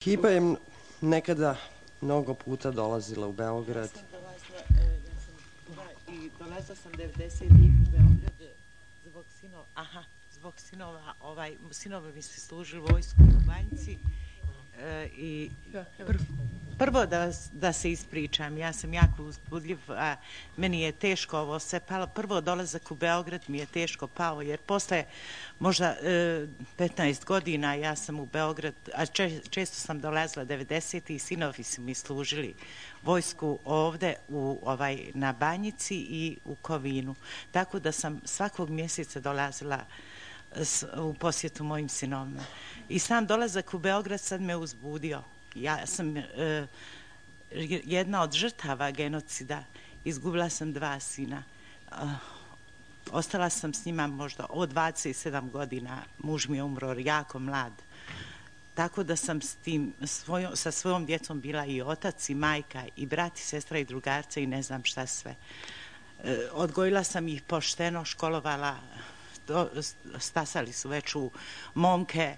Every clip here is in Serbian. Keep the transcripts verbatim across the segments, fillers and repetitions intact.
Hiba je nekada mnogo puta dolazila u Beograd. Ja sam dolazila, ja sam, da, i dolazila sam devedesetih u Beograd zbog sinova, aha, zbog sinova, ovaj, sinovi mi se služili vojsku u Banjici i pr, prvo da, vas, da se ispričam, ja sam jako uzbudljiv, a meni je teško ovo sve palo. Prvo dolazak u Beograd mi je teško pao, jer posle možda e, petnaest godina ja sam u Beograd, a če, često sam dolazila devedesetih i sinovi su mi služili vojsku ovde u, ovaj, na Banjici i u Kovinu. Tako da sam svakog mjeseca dolazila u posjetu mojim sinovima. I sam dolazak u Beograd sad me uzbudio. Ja sam e, jedna od žrtava genocida. Izgubila sam dva sina. E, ostala sam s njima možda od dvadeset sedam godina. Muž mi je umro jako mlad. Tako da sam s tim, svojom, sa svojom djecom bila i otac i majka i brat i sestra i drugarca i ne znam šta sve. E, odgojila sam ih pošteno, školovala, stasali su već u momke,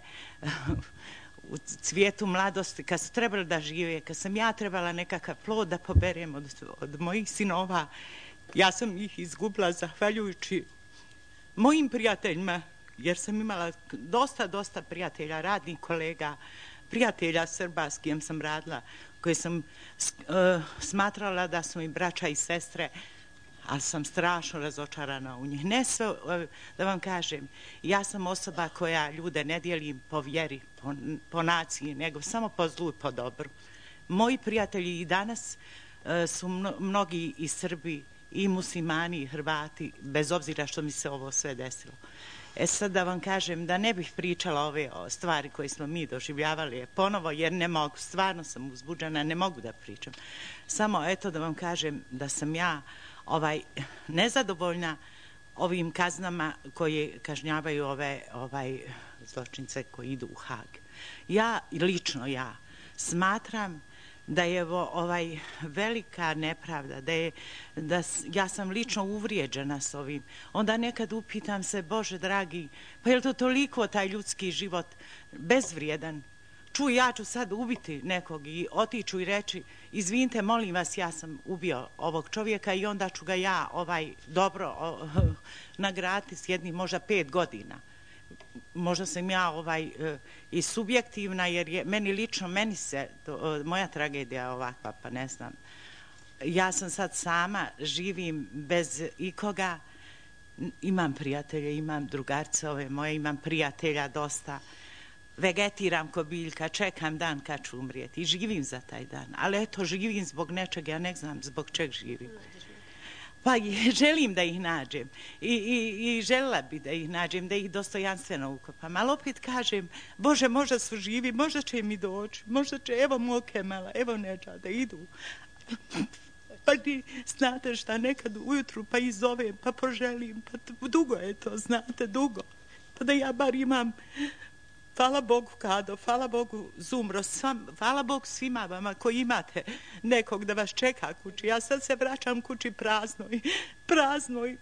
u cvijetu mladosti, kad su trebali da žive, kad sam ja trebala nekakav plod da poberem od, od mojih sinova, ja sam ih izgubila zahvaljujući mojim prijateljima, jer sam imala dosta, dosta prijatelja, radnih kolega, prijatelja Srba s kojim sam radila, koje sam uh, smatrala da su mi braća i sestre, ali sam strašno razočarana u njih. Ne sve, da vam kažem, ja sam osoba koja ljude ne dijelim po vjeri, po, po naciji, nego samo po zlu i po dobru. Moji prijatelji i danas uh, su mno, mnogi i Srbi, i muslimani, i Hrvati, bez obzira što mi se ovo sve desilo. E sad da vam kažem da ne bih pričala ove stvari koje smo mi doživljavali ponovo, jer ne mogu, stvarno sam uzbuđena, ne mogu da pričam. Samo eto da vam kažem da sam ja ovaj, nezadovoljna ovim kaznama koje kažnjavaju ove ovaj, zločince koji idu u Hag. Ja, lično ja, smatram da je ovaj velika nepravda, da je, da ja sam lično uvrijeđena s ovim. Onda nekad upitam se, Bože dragi, pa je li to toliko taj ljudski život bezvrijedan? Čuj, ja ću sad ubiti nekog i otiću i reći, izvinite, molim vas, ja sam ubio ovog čovjeka i onda ću ga ja ovaj dobro o, nagraditi s jednim možda pet godina. Možda sam ja ovaj e, i subjektivna, jer je meni lično, meni se, to, e, moja tragedija je ovakva, pa ne znam. Ja sam sad sama, živim bez ikoga, imam prijatelje, imam drugarce ove moje, imam prijatelja dosta, vegetiram ko biljka, čekam dan kad ću umrijeti i živim za taj dan. Ali eto, živim zbog nečega, ja ne znam zbog čeg živim. Pa želim da ih nađem I, i, i željela bi da ih nađem, da ih dostojanstveno ukopam, ali opet kažem, Bože, možda su živi, možda će mi doći, možda će, evo mog Kemala, evo Neđa, da idu. Pa ti znate šta, nekad ujutru pa i zovem, pa poželim, pa dugo je to, znate, dugo. Pa da ja bar imam, hvala Bogu Kado, hvala Bogu Zumro, svam, hvala Bogu svima vama koji imate nekog da vas čeka kući. Ja sad se vraćam kući praznoj, praznoj.